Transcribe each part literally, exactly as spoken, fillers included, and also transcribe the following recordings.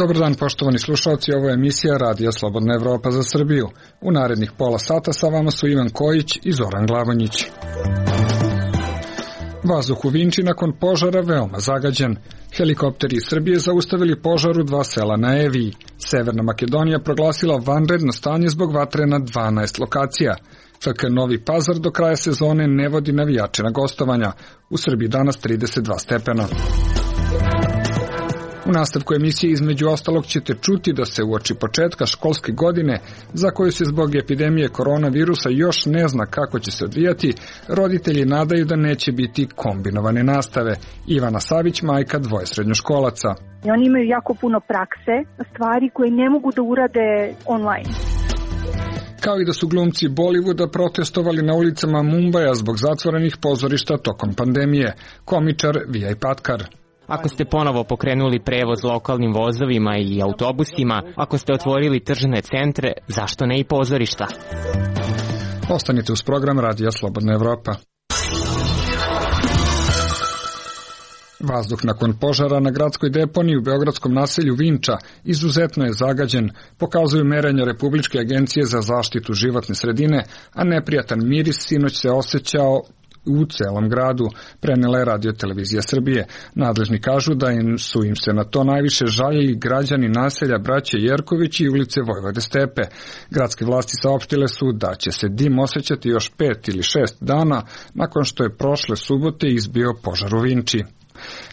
Dobar dan, poštovani slušalci, ovo je emisija Radija Slobodna Evropa za Srbiju. U narednih pola sata sa vama su Ivan Kojić i Zoran Glavonjić. Vazduh u Vinči nakon požara veoma zagađen. Helikopteri iz Srbije zaustavili požar u dva sela na Eviji. Severna Makedonija proglasila vanredno stanje zbog vatre na dvanaest lokacija. F K Novi Pazar do kraja sezone ne vodi navijače na gostovanja. U Srbiji danas trideset dva stepena. U nastavku emisije između ostalog ćete čuti da se uoči početka školske godine, za koju se zbog epidemije koronavirusa još ne zna kako će se odvijati, roditelji nadaju da neće biti kombinovane nastave. Ivana Savić, majka dvoje srednjoškolaca. Oni imaju jako puno prakse, stvari koje ne mogu da urade online. Kao i da su glumci Bollywooda protestovali na ulicama Mumbaja zbog zatvorenih pozorišta tokom pandemije. Komičar Vijay Patkar. Ako ste ponovo pokrenuli prevoz lokalnim vozovima i autobusima, ako ste otvorili tržne centre, zašto ne i pozorišta? Ostanite uz program Radija Slobodna Evropa. Vazduh nakon požara na gradskoj deponiji u beogradskom naselju Vinča izuzetno je zagađen, pokazuju merenja Republičke agencije za zaštitu životne sredine, a neprijatan miris sinoć se osjećao u celom gradu, prenela je Radio Televizija Srbije. Nadležni kažu da im su im se na to najviše žaljeli građani naselja Braće Jerković i ulice Vojvode Stepe. Gradske vlasti saopštile su da će se dim osjećati još pet ili šest dana nakon što je prošle subote izbio požar u Vinči.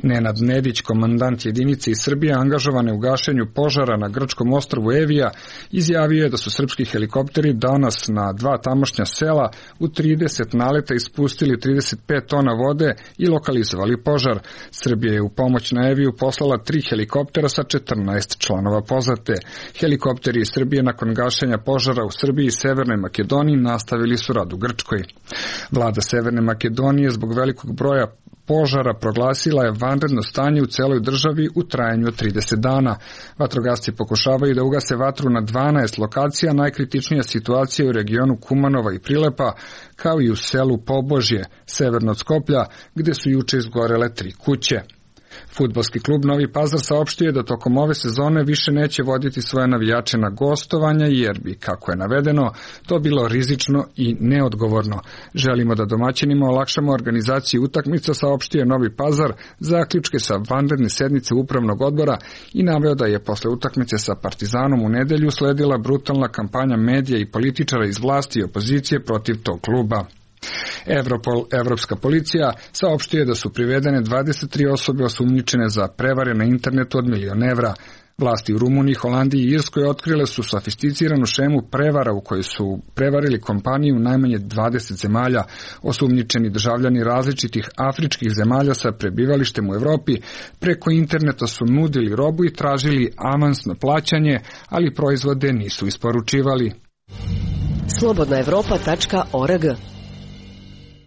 Nenad Nedić, komandant jedinice iz Srbije angažovane u gašenju požara na grčkom ostrvu Evija, izjavio je da su srpski helikopteri danas na dva tamošnja sela u trideset naleta ispustili trideset pet tona vode i lokalizovali požar. Srbija je u pomoć na Eviju poslala tri helikoptera sa četrnaest članova pozate. Helikopteri iz Srbije nakon gašenja požara u Srbiji i Severnoj Makedoniji nastavili su rad u Grčkoj. Vlada Severne Makedonije zbog velikog broja požara proglasila je vanredno stanje u celoj državi u trajanju od trideset dana. Vatrogasci pokušavaju da ugase vatru na dvanaest lokacija, najkritičnija situacija je u regionu Kumanova i Prilepa, kao i u selu Pobožje, severno od Skoplja, gde su juče izgorele tri kuće. Fudbalski klub Novi Pazar saopštio je da tokom ove sezone više neće voditi svoje navijače na gostovanja jer bi, kako je navedeno, to bilo rizično i neodgovorno. Želimo da domaćinima olakšamo organizaciju utakmica, saopštio je Novi Pazar zaključke sa vanredne sednice upravnog odbora i naveo da je posle utakmice sa Partizanom u nedelju sledila brutalna kampanja medija i političara iz vlasti i opozicije protiv tog kluba. Europol, Evropska policija, saopštio je da su privedene dvadeset tri osobe osumnjičene za prevare na internetu od milion evra. Vlasti u Rumuniji, Holandiji i Irskoj otkrile su sofisticiranu šemu prevara u kojoj su prevarili kompaniju u najmanje dvadeset zemalja. Osumnjičeni državljani različitih afričkih zemalja sa prebivalištem u Evropi preko interneta su nudili robu i tražili avansno plaćanje, ali proizvode nisu isporučivali. slobodna evropa tačka org.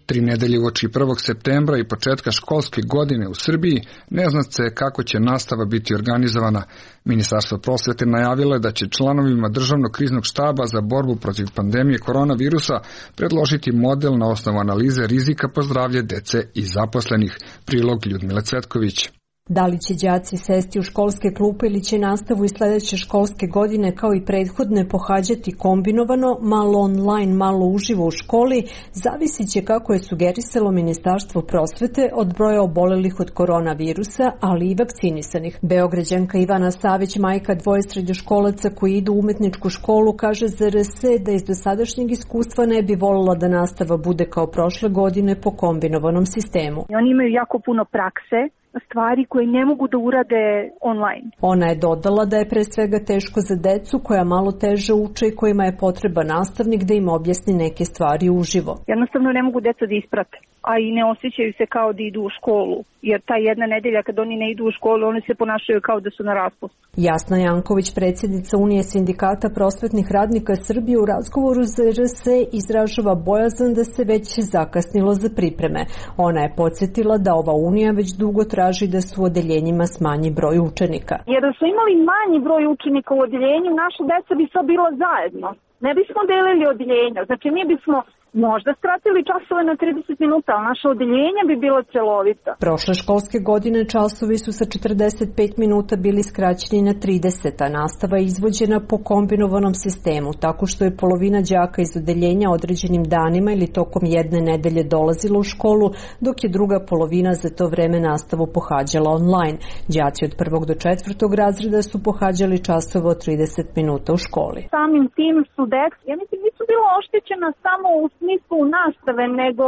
Tri nedelje uoči prvog septembra i početka školske godine u Srbiji ne zna se kako će nastava biti organizovana. Ministarstvo prosvete najavilo je da će članovima Državnog kriznog štaba za borbu protiv pandemije koronavirusa predložiti model na osnovu analize rizika po zdravlje dece i zaposlenih. Prilog Ljudmile Cvetković. Da li će đaci sesti u školske klupe ili će nastavu iz sledeće školske godine kao i prethodne pohađati kombinovano, malo online, malo uživo u školi, zavisit će, kako je sugerisalo Ministarstvo prosvete, od broja obolelih od koronavirusa, ali i vakcinisanih. Beograđanka Ivana Savić, majka dvoje srednjoškolaca koji idu u umetničku školu, kaže za R S da iz dosadašnjeg iskustva ne bi voljela da nastava bude kao prošle godine po kombinovanom sistemu. Oni imaju jako puno prakse, stvari koje ne mogu da urade online. Ona je dodala da je pre svega teško za decu koja malo teže uče i kojima je potreba nastavnik da im objasni neke stvari uživo. Jednostavno ne mogu deca da isprate, a i ne osjećaju se kao da idu u školu, jer ta jedna nedelja kad oni ne idu u školu, oni se ponašaju kao da su na raspustu. Jasna Janković, predsjednica Unije sindikata prosvetnih radnika Srbije, u razgovoru za R S izražava bojazan da se već zakasnilo za pripreme. Ona je podsjetila da ova Unija već dugo traži da su u odeljenjima smanji broj učenika. Jer da su imali manji broj učenika u odeljenju, naša deca bi sad bila zajedno. Ne bismo delili odeljenja, znači mi bismo Možda skratili časove na trideset minuta, ali naša odeljenja bi bila celovita. Prošle školske godine časovi su sa četrdeset pet minuta bili skraćeni na trideset, a nastava je izvođena po kombinovanom sistemu, tako što je polovina đaka iz odeljenja određenim danima ili tokom jedne nedelje dolazila u školu, dok je druga polovina za to vreme nastavu pohađala online. Đaci od prvog do četvrtog razreda su pohađali časove od trideset minuta u školi. Samim tim su deca, ja mislim, nisu bila oštećena samo u smislu nastave, nego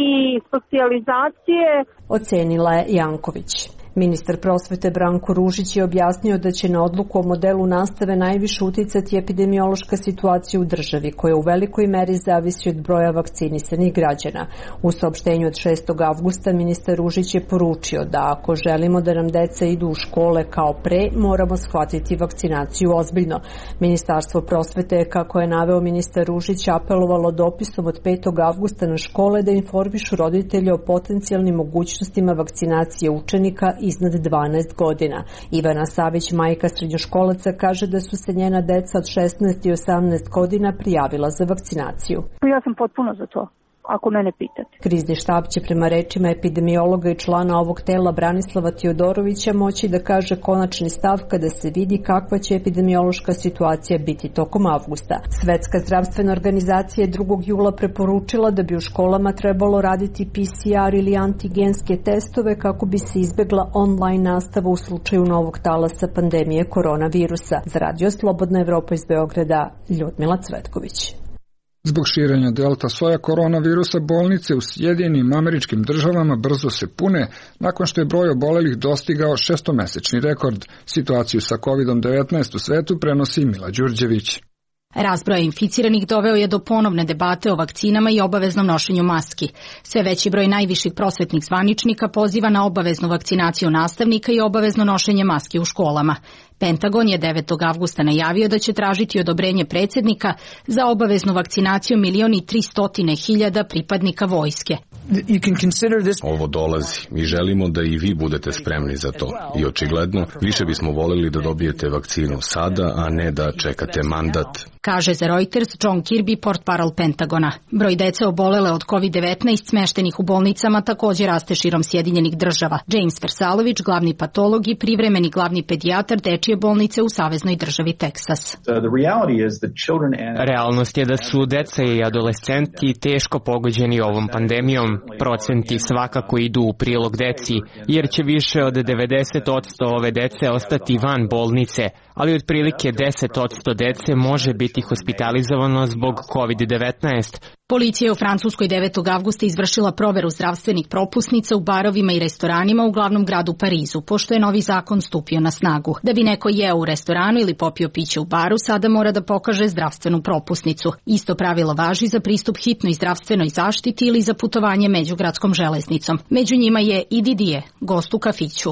i socijalizacije, ocenila je Janković. Ministar prosvete Branko Ružić je objasnio da će na odluku o modelu nastave najviše uticati epidemiološka situacija u državi, koja u velikoj meri zavisi od broja vakcinisanih građana. U saopštenju od šestog avgusta ministar Ružić je poručio da ako želimo da nam deca idu u škole kao pre, moramo shvatiti vakcinaciju ozbiljno. Ministarstvo prosvete je, kako je naveo ministar Ružić, apelovalo dopisom od petog avgusta na škole da informišu roditelje o potencijalnim mogućnostima vakcinacije učenika iznad dvanaest godina. Ivana Savić, majka srednjoškolaca, kaže da su se njena deca od šesnaest i osamnaest godina prijavila za vakcinaciju. Ja sam potpuno za to, ako mene pitate. Krizni štab će prema rečima epidemiologa i člana ovog tela Branislava Teodorovića moći da kaže konačni stav kada se vidi kakva će epidemiološka situacija biti tokom avgusta. Svetska zdravstvena organizacija je drugog jula preporučila da bi u školama trebalo raditi P C R ili antigenske testove kako bi se izbegla online nastava u slučaju novog talasa pandemije koronavirusa. Za Radio Slobodna Evropa iz Beograda, Ljudmila Cvetković. Zbog širenja delta soja koronavirusa bolnice u Sjedinjenim Američkim Državama brzo se pune nakon što je broj obolelih dostigao šestomesečni rekord. Situaciju sa kovid devetnaest u svetu prenosi Mila Đurđević. Rast broja inficiranih doveo je do ponovne debate o vakcinama i obaveznom nošenju maski. Sve veći broj najviših prosvetnih zvaničnika poziva na obaveznu vakcinaciju nastavnika i obavezno nošenje maski u školama. Pentagon je devetog avgusta najavio da će tražiti odobrenje predsjednika za obaveznu vakcinaciju milion i tristotine hiljada pripadnika vojske. Ovo dolazi i želimo da i vi budete spremni za to. I očigledno, više bismo volili da dobijete vakcinu sada, a ne da čekate mandat, kaže za Reuters John Kirby, portparol Pentagona. Broj dece obolele od kovid devetnaest smeštenih u bolnicama također raste širom Sjedinjenih Država. James Versalović, glavni patolog i privremeni glavni pedijatar dečije bolnice u saveznoj državi Teksas. Realnost je da su deca i adolescenti teško pogođeni ovom pandemijom. Procenti svakako idu u prilog deci, jer će više od devedeset posto ove dece ostati van bolnice, ali otprilike deset posto dece može biti hospitalizovano zbog kovid devetnaest. Policija je u Francuskoj devetog avgusta izvršila proveru zdravstvenih propusnica u barovima i restoranima u glavnom gradu Parizu, pošto je novi zakon stupio na snagu. Da bi neko jeo u restoranu ili popio piće u baru, sada mora da pokaže zdravstvenu propusnicu. Isto pravilo važi za pristup hitnoj zdravstvenoj zaštiti ili za putovanje međugradskom železnicom. Među njima je i Didier, gost u kafiću.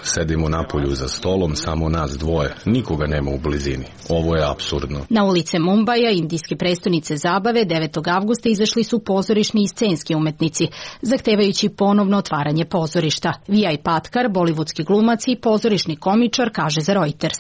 Sedimo napolju za stolom, samo nas dvoje. Nikoga nema u blizini. Ovo je apsurdno. Na ulice Mumbaja, indijske prestonice zabave, devetog avgusta izašli su pozorišni i scenski umetnici, zahtevajući ponovno otvaranje pozorišta. Vijay Patkar, bolivudski glumac i pozorišni komičar, kaže za Reuters.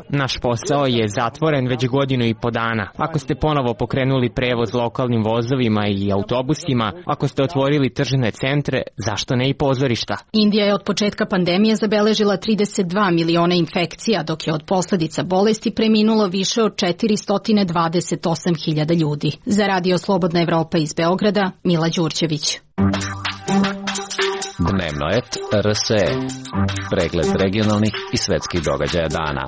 Naš posao je zatvoren već godinu i po dana. Ako ste ponovo pokrenuli prevoz lokalnim vozovima i autobusima, ako ste otvorili tržne centre, zašto ne i pozorišta? Indija je od početka pandemije zabeležila trideset dva miliona infekcija, dok je od posljedica bolesti preminulo više od četiristo dvadeset osam hiljada ljudi. Za Radio Slobodna Evropa iz Beograda, Mila Đurđević. Dnevnoet R S E. Pregled regionalnih i svetskih događaja dana.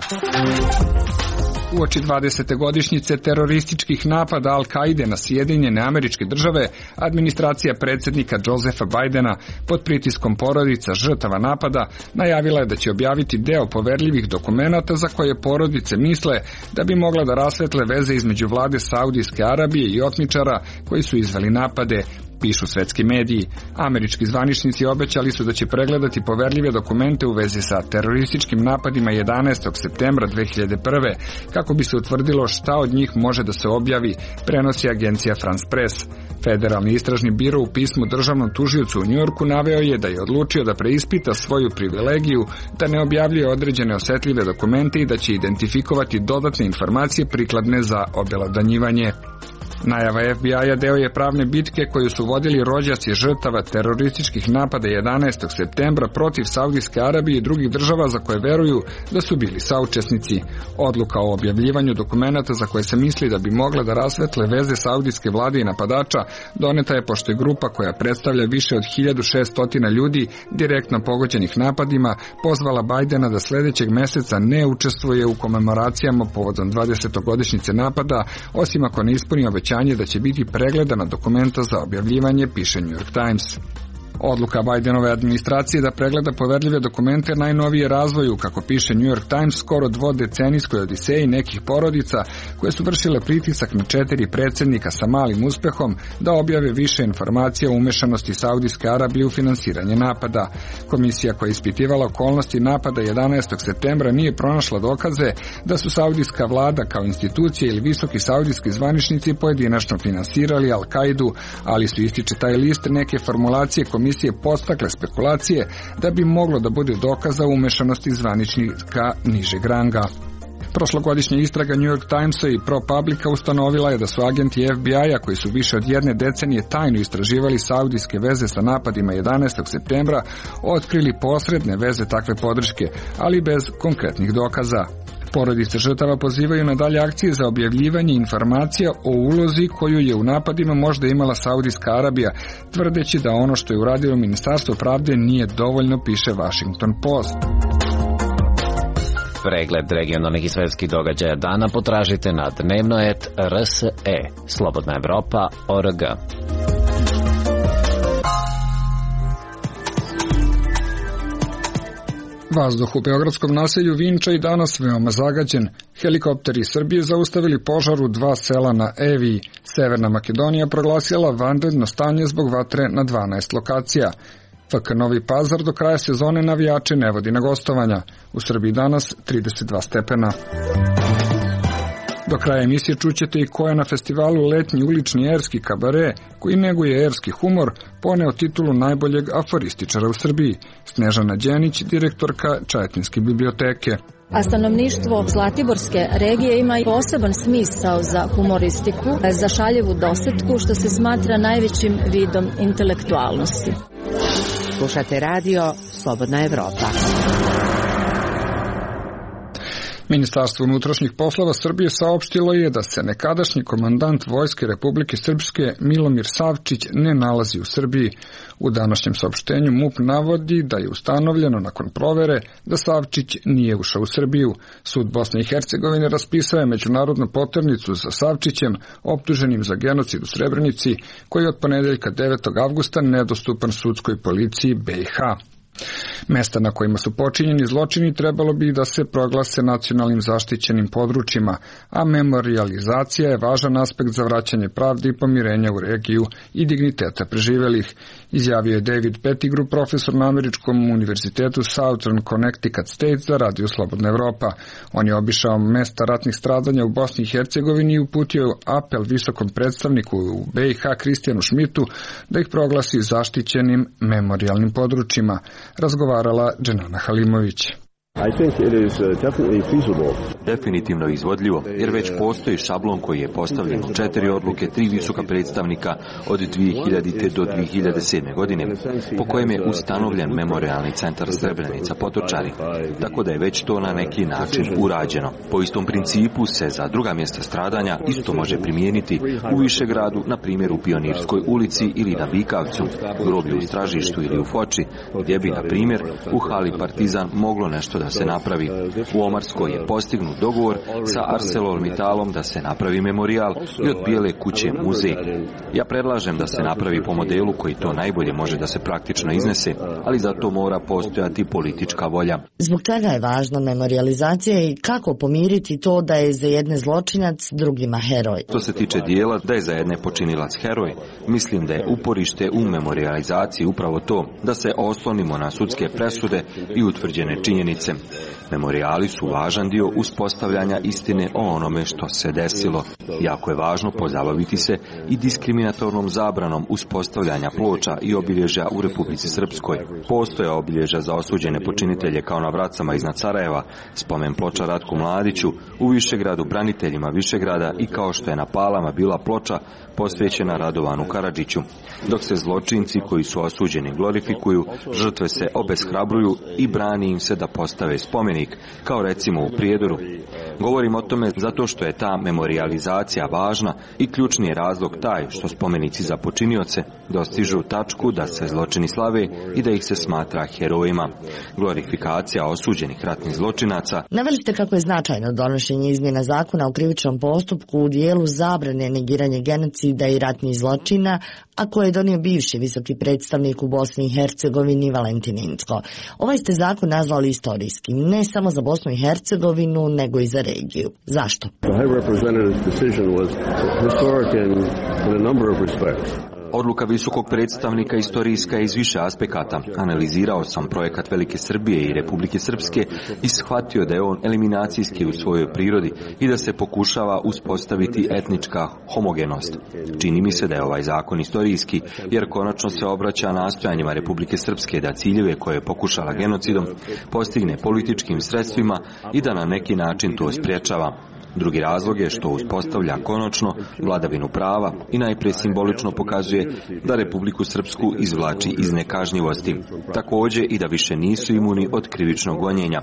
Uoči dvadesete godišnjice terorističkih napada Al-Kaide na Sjedinjene Američke Države, administracija predsjednika Josefa Bidena pod pritiskom porodica žrtava napada najavila je da će objaviti deo poverljivih dokumenata za koje porodice misle da bi mogla da rasvetle veze između vlade Saudijske Arabije i otmičara koji su izveli napade, pišu svetski mediji. Američki zvaničnici obećali su da će pregledati poverljive dokumente u vezi sa terorističkim napadima jedanaestog septembra dve hiljade prve. kako bi se utvrdilo šta od njih može da se objavi, prenosi agencija France Press. Federalni istražni biro u pismu državnom tužiocu u Njujorku naveo je da je odlučio da preispita svoju privilegiju, da ne objavljuje određene osetljive dokumente i da će identifikovati dodatne informacije prikladne za obelodanjivanje. Najava F B I-a deo je pravne bitke koju su vodili rođaci žrtava terorističkih napada jedanaestog septembra protiv Saudijske Arabije i drugih država za koje veruju da su bili saučesnici. Odluka o objavljivanju dokumenata za koje se misli da bi mogla da rasvetle veze saudijske vlade i napadača doneta je pošto je grupa koja predstavlja više od hiljadu šesto ljudi direktno pogođenih napadima pozvala Bajdena da sledećeg meseca ne učestvuje u komemoracijama povodom dvadesetogodišnjice napada, osim ako ne ispuni obećanje da će biti pregledana dokumenta za objavljivanje, piše New York Times. Odluka Bajdenove administracije da pregleda poverljive dokumente najnovije razvoju, kako piše New York Times, skoro dvodecenijskoj odiseji nekih porodica koje su vršile pritisak na četiri predsjednika sa malim uspehom da objave više informacija o umešanosti Saudijske Arabije u finansiranje napada. Komisija koja je ispitivala okolnosti napada jedanaestog septembra nije pronašla dokaze da su saudijska vlada kao institucija ili visoki saudijski zvaničnici pojedinačno finansirali Al-Kaidu, ali su, ističe taj list, neke formulacije komisije podstakle spekulacije da bi moglo da bude dokaza umešanosti zvaničnika nižeg ranga. Prošlogodišnja istraga New York Timesa i ProPublica ustanovila je da su agenti F B I-a koji su više od jedne decenije tajno istraživali saudijske veze sa napadima jedanaestog septembra otkrili posredne veze takve podrške, ali bez konkretnih dokaza. Porodice žrtava pozivaju na dalje akcije za objavljivanje informacija o ulozi koju je u napadima možda imala Saudijska Arabija, tvrdeći da ono što je uradilo Ministarstvo pravde nije dovoljno, piše Washington Post. Pregled regionalnih i svetskih događaja dana potražite na dnevnoet R S E, Slobodna Evropa, O R G. Vazduh u beogradskom naselju Vinča i danas veoma zagađen. Helikopteri iz Srbije zaustavili požar u dva sela na Eviji. Severna Makedonija proglasila vanredno stanje zbog vatre na dvanaest lokacija. F K Novi Pazar do kraja sezone navijače ne vodi na gostovanja. U Srbiji danas trideset dva stepena. Do kraja emisije čućete i ko je na festivalu Letnji ulični erski kabare, koji neguje erski humor, poneo titulu najboljeg aforističara u Srbiji. Snežana Đenić, direktorka Čajetinske biblioteke. A stanovništvo Zlatiborske regije ima i poseban smisao za humoristiku, za šaljivu dosetku, što se smatra najvećim vidom intelektualnosti. Slušate radio Slobodna Evropa. Ministarstvo unutrašnjih poslova Srbije saopštilo je da se nekadašnji komandant Vojske Republike Srpske Milomir Savčić ne nalazi u Srbiji. U današnjem saopštenju M U P navodi da je ustanovljeno nakon provere da Savčić nije ušao u Srbiju. Sud Bosne i Hercegovine raspisao je međunarodnu poternicu za Savčićem, optuženim za genocid u Srebrenici, koji je od ponedeljka devetog avgusta nedostupan sudskoj policiji B i H. Mesta na kojima su počinjeni zločini trebalo bi da se proglase nacionalnim zaštićenim područjima, a memorijalizacija je važan aspekt za vraćanje pravde i pomirenja u regiju i digniteta preživelih, izjavio je David Pettigrew, profesor na Američkom univerzitetu Southern Connecticut State za Radio Slobodna Evropa. On je obišao mesta ratnih stradanja u Bosni i Hercegovini i uputio apel visokom predstavniku u B i H Kristijanu Šmitu da ih proglasi zaštićenim memorijalnim područjima. Razgovarala Dženana Halimović. Definitivno izvodljivo, jer već postoji šablon koji je postavljen u četiri odluke, tri visoka predstavnika od dvije hiljadite do dvije hiljade sedme. godine, po kojem je ustanovljen memorialni centar Srebrenica Potočari, tako da je već to na neki način urađeno. Po istom principu se za druga mjesta stradanja isto može primijeniti u Višegradu, na primjer u Pionirskoj ulici ili na Bikavcu, groblju u Stražištu ili u Foči, gdje bi, na primjer, u hali Partizan moglo nešto da se napravi. U Omarskoj je postignut dogovor sa ArcelorMittalom da se napravi memorijal i od Bijele kuće muzej. Ja predlažem da se napravi po modelu koji to najbolje može da se praktično iznese, ali za to mora postojati politička volja. Zbog čega je važna memorijalizacija i kako pomiriti to da je za jedne zločinac, drugima heroj? Što se tiče dijela da je za jedne počinilac heroj, mislim da je uporište u memorijalizaciji upravo to, da se oslonimo na sudske presude i utvrđene činjenice počinioce. Memorijali su važan dio uspostavljanja istine o onome što se desilo. Jako je važno pozabaviti se i diskriminatornom zabranom uspostavljanja ploča i obilježja u Republici Srpskoj. Postoje obilježja za osuđene počinitelje kao na Vracama iznad Sarajeva, spomen ploča Ratku Mladiću, u Višegradu braniteljima Višegrada i kao što je na Palama bila ploča posvećena Radovanu Karadžiću. Dok se zločinci koji su osuđeni glorifikuju, žrtve se obeshrabruju i brani im se da postave spomenik, kao recimo u Prijedoru. Govorim o tome zato što je ta memorijalizacija važna i ključni je razlog taj što spomenici za počinioce dostižu tačku da se zločini slave i da ih se smatra herojima. Glorifikacija osuđenih ratnih zločinaca. Naveli ste kako je značajno donošenje izmjena zakona o krivičnom postupku u dijelu zabrane negiranja genocida i ratnih zločina, a koje je donio bivši visoki predstavnik u Bosni i Hercegovini Valentin Incko. Ovaj ste zakon nazvali istorijskim, ne samo za Bosnu i Hercegovinu, nego i za regiju. Zašto? Odluka visokog predstavnika istorijska je iz više aspekata. Analizirao sam projekat Velike Srbije i Republike Srpske i shvatio da je on eliminacijski u svojoj prirodi i da se pokušava uspostaviti etnička homogenost. Čini mi se da je ovaj zakon istorijski, jer konačno se obraća nastojanjima Republike Srpske da ciljeve koje je pokušala genocidom postigne političkim sredstvima i da na neki način to spriječava. Drugi razlog je što uspostavlja konačno vladavinu prava i najprije simbolično pokazuje da Republiku Srpsku izvlači iz nekažnjivosti. Također i da više nisu imuni od krivičnog gonjenja.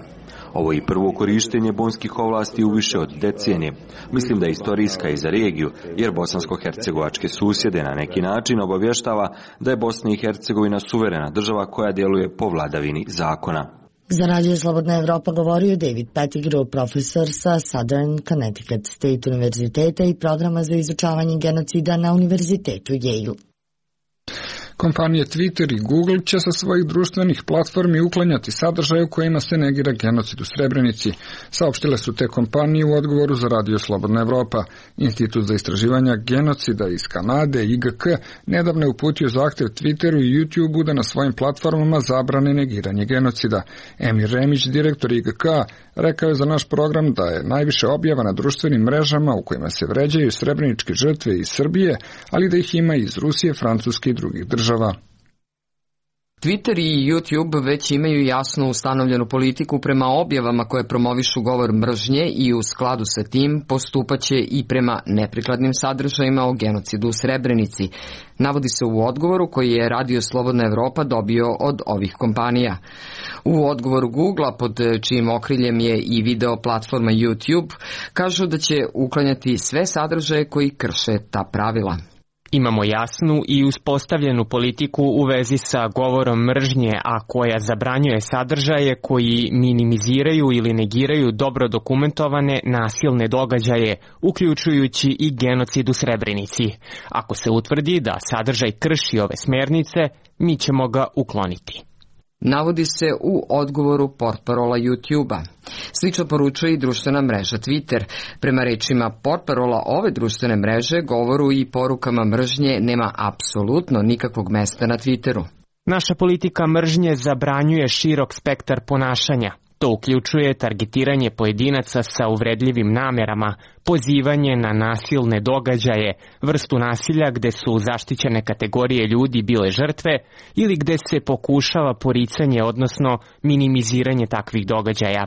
Ovo je i prvo korištenje bonskih ovlasti u više od decenije. Mislim da je istorijska i za regiju, jer bosansko-hercegovačke susjede na neki način obavještava da je Bosna i Hercegovina suverena država koja djeluje po vladavini zakona. Za Radio Slobodna Evropa govorio David Pettigrew, profesor sa Southern Connecticut State univerziteta i programa za izučavanje genocida na univerzitetu Yale. Kompanije Twitter i Google će sa svojih društvenih platformi uklanjati sadržaje u kojima se negira genocid u Srebrenici. Saopštile su te kompanije u odgovoru za Radio Slobodna Evropa. Institut za istraživanja genocida iz Kanade, I G K, nedavno je uputio zahtjev Twitteru i YouTubeu da na svojim platformama zabrane negiranje genocida. Emir Remić, direktor I G K, rekao je za naš program da je najviše objava na društvenim mrežama u kojima se vređaju srebreničke žrtve iz Srbije, ali da ih ima iz Rusije, Francuske i drugih država. Twitter i YouTube već imaju jasno ustanovljenu politiku prema objavama koje promovišu govor mržnje i u skladu sa tim postupaće i prema neprikladnim sadržajima o genocidu u Srebrenici. Navodi se u odgovoru koji je Radio Slobodna Evropa dobio od ovih kompanija. U odgovoru Googlea, pod čijim okriljem je i video platforma YouTube, kažu da će uklanjati sve sadržaje koji krše ta pravila. Imamo jasnu i uspostavljenu politiku u vezi sa govorom mržnje, a koja zabranjuje sadržaje koji minimiziraju ili negiraju dobro dokumentovane nasilne događaje, uključujući i genocid u Srebrenici. Ako se utvrdi da sadržaj krši ove smjernice, mi ćemo ga ukloniti. Navodi se u odgovoru portparola YouTube-a. Slično poručuje i društvena mreža Twitter. Prema rečima portparola ove društvene mreže, govoru i porukama mržnje nema apsolutno nikakvog mesta na Twitteru. Naša politika mržnje zabranjuje širok spektar ponašanja. To uključuje targetiranje pojedinaca sa uvredljivim namerama, pozivanje na nasilne događaje, vrstu nasilja gde su zaštićene kategorije ljudi bile žrtve ili gde se pokušava poricanje, odnosno minimiziranje takvih događaja.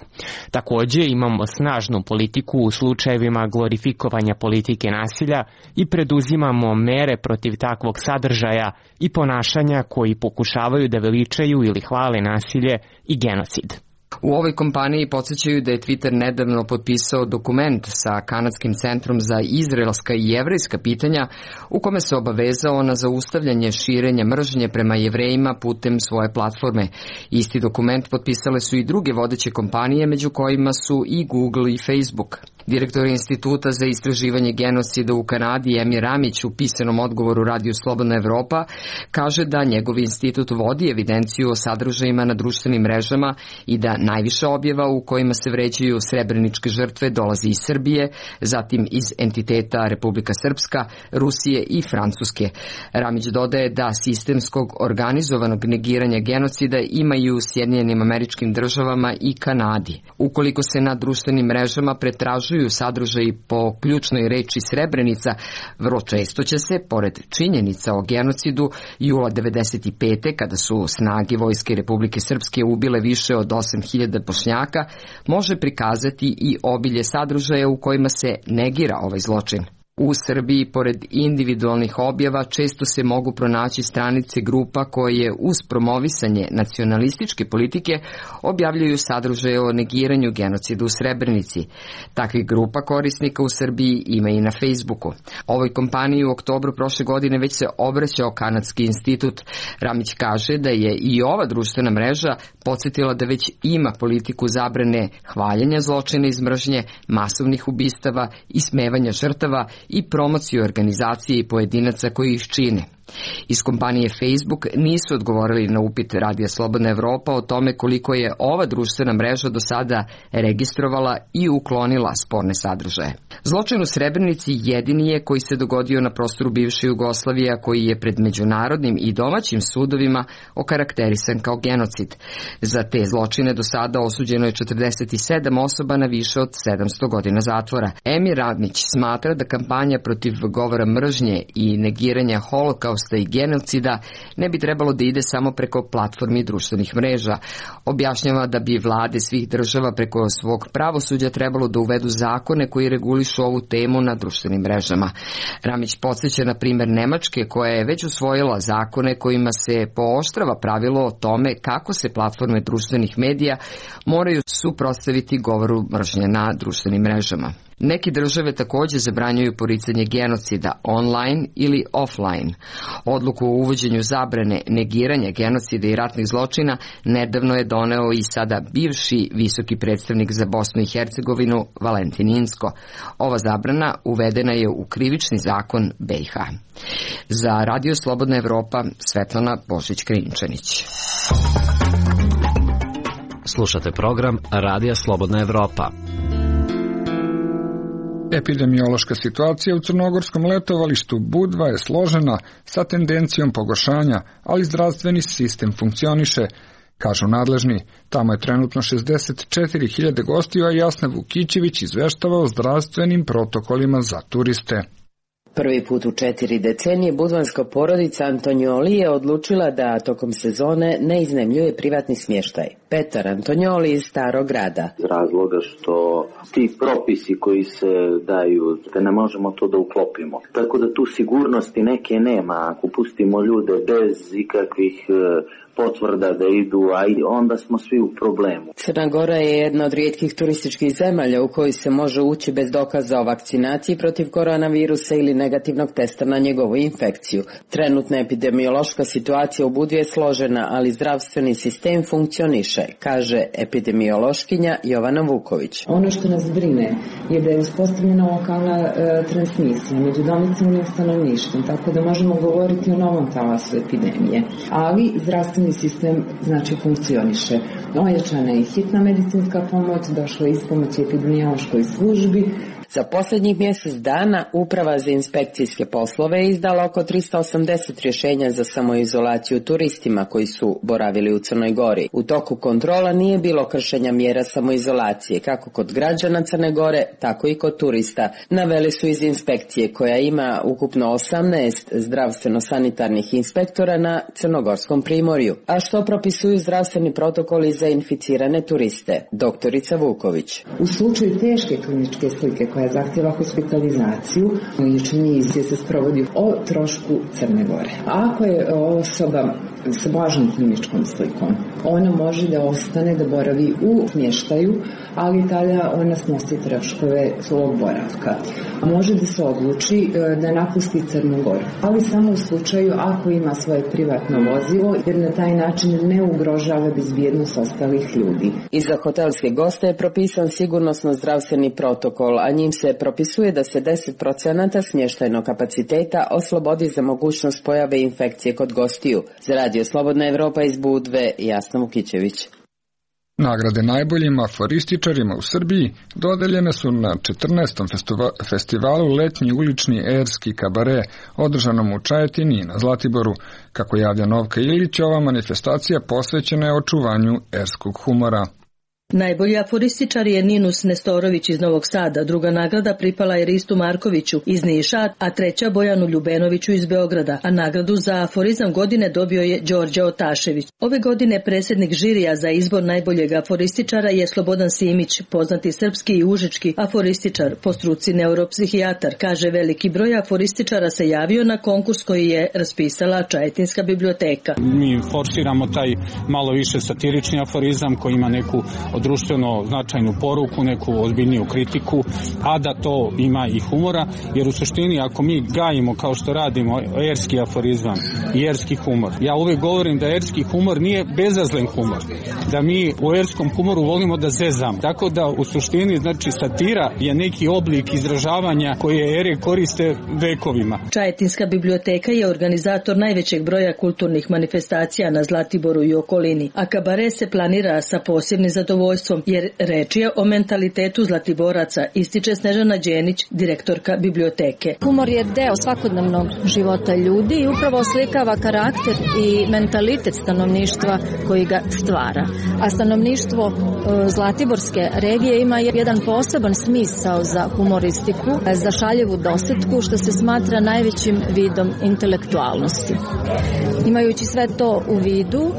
Također imamo snažnu politiku u slučajevima glorifikovanja politike nasilja i preduzimamo mere protiv takvog sadržaja i ponašanja koji pokušavaju da veličaju ili hvale nasilje i genocid. U ovoj kompaniji podsjećaju da je Twitter nedavno potpisao dokument sa Kanadskim centrom za izraelska i jevrejska pitanja u kome se obavezao na zaustavljanje širenja mržnje prema Jevrejima putem svoje platforme. Isti dokument potpisale su i druge vodeće kompanije, među kojima su i Google i Facebook. Direktor Instituta za istraživanje genocida u Kanadi Emir Ramić u pisanom odgovoru Radiju Slobodna Evropa kaže da njegov institut vodi evidenciju o sadržajima na društvenim mrežama i da najviše objava u kojima se vređaju srebreničke žrtve dolazi iz Srbije, zatim iz entiteta Republika Srpska, Rusije i Francuske. Ramić dodaje da sistemskog organizovanog negiranja genocida imaju u Sjedinjenim Američkim Državama i Kanadi. Ukoliko se na društvenim mrežama pretražuju sadržaji po ključnoj reči Srebrenica, vrlo često će se, pored činjenica o genocidu jula devedeset pete kada su snage Vojske Republike Srpske ubile više od osam hiljada Bošnjaka, može prikazati i obilje sadržaja u kojima se negira ovaj zločin. U Srbiji, pored individualnih objava, često se mogu pronaći stranice grupa koje uz promovisanje nacionalističke politike objavljuju sadržaje o negiranju genocida u Srebrenici. Takvih grupa korisnika u Srbiji ima i na Facebooku. Ovoj kompaniji u oktobru prošle godine već se obraćao Kanadski institut. Ramić kaže da je i ova društvena mreža podsjetila da već ima politiku zabrane hvaljenja zločina iz mržnje, masovnih ubistava, ismevanja žrtava i promociju organizacije i pojedinaca koji ih čine. Iz kompanije Facebook nisu odgovorili na upit Radija Slobodna Evropa o tome koliko je ova društvena mreža do sada registrovala i uklonila sporne sadržaje. Zločin u Srebrenici jedini je koji se dogodio na prostoru bivše Jugoslavije, a koji je pred međunarodnim i domaćim sudovima okarakterisan kao genocid. Za te zločine do sada osuđeno je četrdeset sedam osoba na više od sedamsto godina zatvora. Emir Ramić smatra da kampanja protiv govora mržnje i negiranja holokausta i genocida ne bi trebalo da ide samo preko platformi društvenih mreža. Objašnjava da bi vlade svih država preko svog pravosuđa trebalo da uvedu zakone koji regulišu ovu temu na društvenim mrežama. Ramić podsjeća na primjer Nemačke, koja je već usvojila zakone kojima se pooštrava pravilo o tome kako se platforme društvenih medija moraju suprotstaviti govoru mržnje na društvenim mrežama. Neke države takođe zabranjuju poricanje genocida online ili offline. Odluku o uvođenju zabrane negiranja genocida i ratnih zločina nedavno je doneo i sada bivši visoki predstavnik za Bosnu i Hercegovinu Valentin Inzko. Ova zabrana uvedena je u krivični zakon B i H. Za Radio Slobodna Evropa, Svetlana Božić-Krinčanić. Slušate program Radija Slobodna Evropa. Epidemiološka situacija u crnogorskom letovalištu Budva je složena sa tendencijom pogoršanja, ali zdravstveni sistem funkcioniše, kažu nadležni. Tamo je trenutno šezdeset četiri hiljade gostiju, a Jasna Vukićević izveštava o zdravstvenim protokolima za turiste. Prvi put u četiri decenije budvanska porodica Antonioli je odlučila da tokom sezone ne iznajmljuje privatni smještaj. Petar Antonioli iz Starog grada. Iz razloga što ti propisi koji se daju, da ne možemo to da uklopimo. Tako da tu sigurnosti neke nema. Ako pustimo ljude bez ikakvih potvrda da idu, a onda smo svi u problemu. Crna Gora je jedna od rijetkih turističkih zemalja u kojoj se može ući bez dokaza o vakcinaciji protiv koronavirusa ili negativnog testa na njegovu infekciju. Trenutna epidemiološka situacija u Budvi je složena, ali zdravstveni sistem funkcioniše, kaže epidemiološkinja Jovana Vuković. Ono što nas brine je da je uspostavljena lokalna e, transmisija među domicilnim stanovništvom, tako da možemo govoriti o novom talasu epidemije, ali zdravstveni sistem znači funkcioniše. Ojačana je hitna medicinska pomoć, došla je ispomoć epidemiološkoj službi. Za posljednjih mjesec dana Uprava za inspekcijske poslove je izdala oko tristo osamdeset rješenja za samoizolaciju turistima koji su boravili u Crnoj Gori. U toku kontrola nije bilo kršenja mjera samoizolacije, kako kod građana Crne Gore, tako i kod turista. Naveli su iz inspekcije, koja ima ukupno osamnaest zdravstveno-sanitarnih inspektora na Crnogorskom primorju. A što propisuju zdravstveni protokoli za inficirane turiste? Doktorica Vuković. U slučaju teške kliničke slike koja zahtjeva hospitalizaciju, liječenje izvije se sprovodi o trošku Crne Gore. A ako je osoba sa blažom kliničkom slikom, ona može da ostane da boravi u smještaju, ali tada ona snosi troškove svog boravka. može da se odluči da napusti Crnu Goru, ali samo u slučaju ako ima svoje privatno vozilo, jer na taj način ne ugrožava bezbjednost ostalih ljudi. I za hotelske goste je propisan sigurnosno-zdravstveni protokol, a njim se propisuje da se deset procenata smještajnog kapaciteta oslobodi za mogućnost pojave infekcije kod gostiju. Za Radio Slobodna Evropa iz Budve, Jasna Vukićević. Nagrade najboljim aforističarima u Srbiji dodeljene su na četrnaestom festivalu Letnji ulični erski kabare, održanom u Čajetini i na Zlatiboru. Kako javlja Novka Ilić, ova manifestacija posvećena je očuvanju erskog humora. Najbolji aforističar je Ninus Nestorović iz Novog Sada, druga nagrada pripala je Ristu Markoviću iz Niša, a treća Bojanu Ljubenoviću iz Beograda, a nagradu za aforizam godine dobio je Đorđe Otašević. Ove godine predsjednik žirija za izbor najboljeg aforističara je Slobodan Simić, poznati srpski i užički aforističar, po struci neuropsihijatar. Kaže, veliki broj aforističara se javio na konkurs koji je raspisala Čajetinska biblioteka. Mi forsiramo taj malo više satirični aforizam koji ima neku društveno značajnu poruku, neku ozbiljniju kritiku, a da to ima i humora, jer u suštini ako mi gajimo kao što radimo erski aforizam i erski humor, ja uvijek govorim da erski humor nije bezazlen humor, da mi u erskom humoru volimo da zezam, tako da u suštini znači satira je neki oblik izražavanja koje ere koriste vekovima. Čajetinska biblioteka je organizator najvećeg broja kulturnih manifestacija na Zlatiboru i okolini, a kabare se planira sa posebnim zadovoljstvom, jer reč je o mentalitetu Zlatiboraca, ističe Snežana Đenić, direktorka biblioteke. Humor je deo svakodnevnog života ljudi i upravo oslikava karakter i mentalitet stanovništva koji ga stvara. A stanovništvo Zlatiborske regije ima jedan poseban smisao za humoristiku, za šaljevu dosetku, što se smatra najvećim vidom intelektualnosti. Imajući sve to u vidu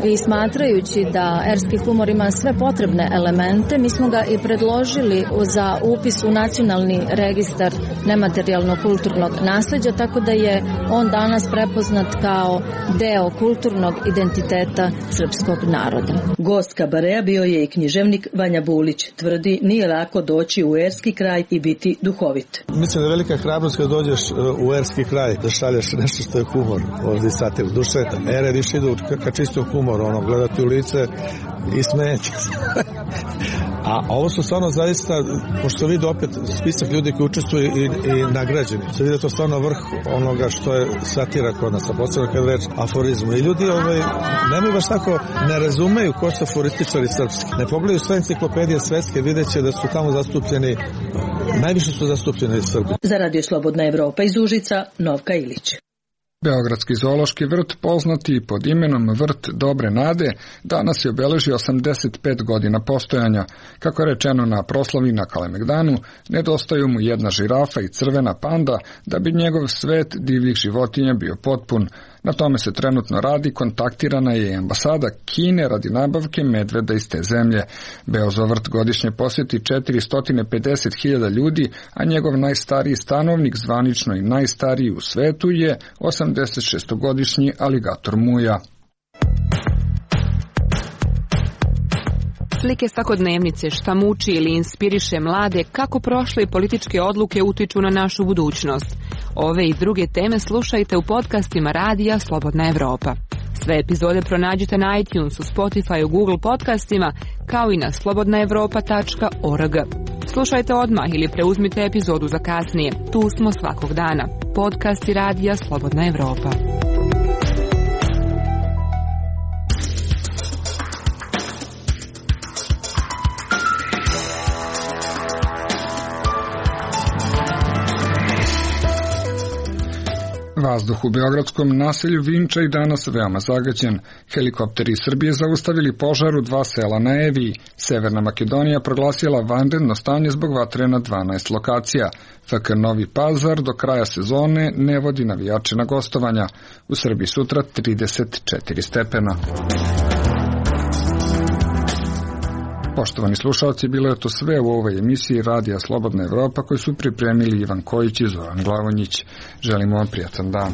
i smatrajući da erski humor ima sve potrebne elemente, mi smo ga i predložili za upis u nacionalni registar nematerijalnog kulturnog nasleđa, tako da je on danas prepoznat kao deo kulturnog identiteta srpskog naroda. Gost kabarea bio je i književnik Vanja Bulić. Tvrdi, nije lako doći u erski kraj i biti duhovit. Mislim da je velika hrabrost kad dođeš u erski kraj da šalješ nešto što je humor, ovdje satir, duše. Ere više idu ka čistom humoru, ono, gledati u lice i smijeti. A ovo su stvarno zaista, pošto vidi opet spisak ljudi koji učestvuju i, i nagrađeni. Se vidi to stvarno vrh onoga što je satira kod nas, a posebno kad reč aforizmu. I ljudi ovaj, nemaju baš tako, ne razumeju ko su aforističari srpski. Ne pogledaju sve enciklopedije svetske, vidjet će da su tamo zastupljeni, najviše su zastupljeni Srbi. Za Radio Slobodna Evropa iz Užica, Novka Ilić. Beogradski zoološki vrt, poznati pod imenom Vrt Dobre Nade, danas je obeležio osamdeset pet godina postojanja. Kako je rečeno na proslavi na Kalemegdanu, nedostaju mu jedna žirafa i crvena panda da bi njegov svet divljih životinja bio potpun. Na tome se trenutno radi, kontaktirana je i ambasada Kine radi nabavke medveda iz te zemlje. Beozovrt godišnje posjeti četiristo pedeset hiljada ljudi, a njegov najstariji stanovnik, zvanično i najstariji u svetu, je osamdeset šestogodišnji aligator Muja. Slike svakodnevnice, šta muči ili inspiriše mlade, kako prošle političke odluke utiču na našu budućnost. Ove i druge teme slušajte u podcastima Radija Slobodna Evropa. Sve epizode pronađite na iTunesu, Spotify, Google podcastima, kao i na slobodna evropa tačka org. Slušajte odmah ili preuzmite epizodu za kasnije. Tu smo svakog dana. Podcasti Radija Slobodna Evropa. Vazduh u beogradskom naselju Vinča i danas veoma zagađen. Helikopteri iz Srbije zaustavili požar u dva sela na Eviji. Severna Makedonija proglasila vanredno stanje zbog vatre na dvanaest lokacija. F K Novi Pazar do kraja sezone ne vodi navijače na gostovanja. U Srbiji sutra trideset četiri stepena. Poštovani slušalci, bilo je to sve u ovoj emisiji Radija Slobodna Evropa koju su pripremili Ivan Kojić i Zoran Glavonjić. Želimo vam prijatan dan.